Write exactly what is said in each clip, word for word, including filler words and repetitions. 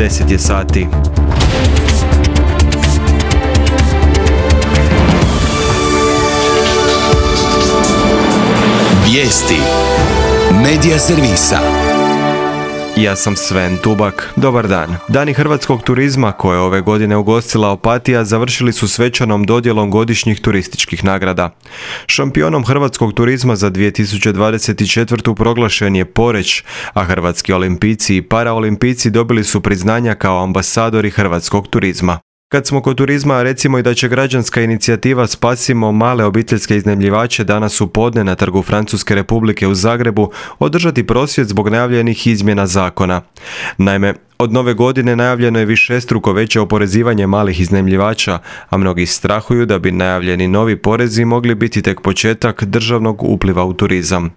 deset je sati. Vijesti Medija servisa. Ja sam Sven Tubak. Dobar dan. Dani hrvatskog turizma koje je ove godine ugostila Opatija završili su svečanom dodjelom godišnjih turističkih nagrada. Šampionom hrvatskog turizma za dvije tisuće dvadeset četvrtu proglašen je Poreč, a hrvatski olimpijci i paraolimpijci dobili su priznanja kao ambasadori hrvatskog turizma. Kad smo kod turizma, recimo i da će građanska inicijativa Spasimo male obiteljske iznajmljivače danas u podne na Trgu Francuske Republike u Zagrebu održati prosvjed zbog najavljenih izmjena zakona. Naime, od nove godine najavljeno je višestruko veće oporezivanje malih iznajmljivača, a mnogi strahuju da bi najavljeni novi porezi mogli biti tek početak državnog upliva u turizam.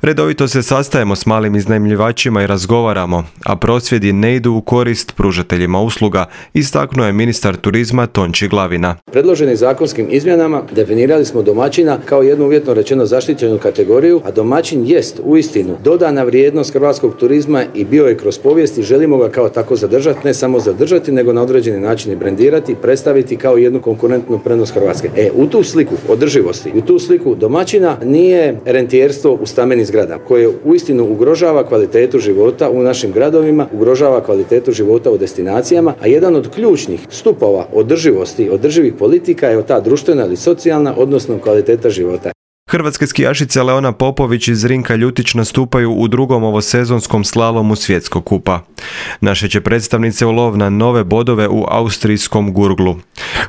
Redovito se sastajemo s malim iznajmljivačima i razgovaramo, a prosvjedi ne idu u korist pružateljima usluga, istaknuo je ministar turizma Tonči Glavina. Predloženim zakonskim izmjenama definirali smo domaćina kao jednu uvjetno rečeno zaštićenu kategoriju, a domaćin jest uistinu dodana vrijednost hrvatskog turizma i bio je kroz povijest i želimo ga kao tako zadržati, ne samo zadržati, nego na određeni način i brendirati, predstaviti kao jednu konkurentnu prednost Hrvatske. E, u tu sliku održivosti, u tu sliku domaćina nije rentijerstvo u stambenim zgradama, koje uistinu ugrožava kvalitetu života u našim gradovima, ugrožava kvalitetu života u destinacijama, a jedan od ključnih stupova održivosti, održivih politika je ta društvena ili socijalna, odnosno kvaliteta života. Hrvatske skijašice Leona Popović i Zrinka Ljutić nastupaju u drugom ovosezonskom slalomu svjetskog kupa. Naše će predstavnice u lov na nove bodove u austrijskom Gurglu.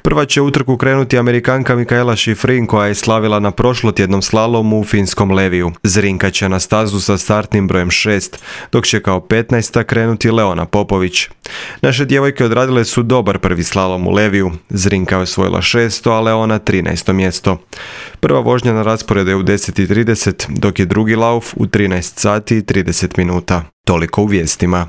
Prva će utrku krenuti Amerikanka Mikaela Šifrin koja je slavila na prošlotjednom slalomu u finskom Leviju. Zrinka će na stazu sa startnim brojem šest, dok će kao petnaesta krenuti Leona Popović. Naše djevojke odradile su dobar prvi slalom u Leviju. Zrinka je osvojila šesto, a Leona trinaesto mjesto. Prva vožnja na rasporedu je u deset i trideset, dok je drugi lauf u trinaest sati i trideset minuta. Toliko u vijestima.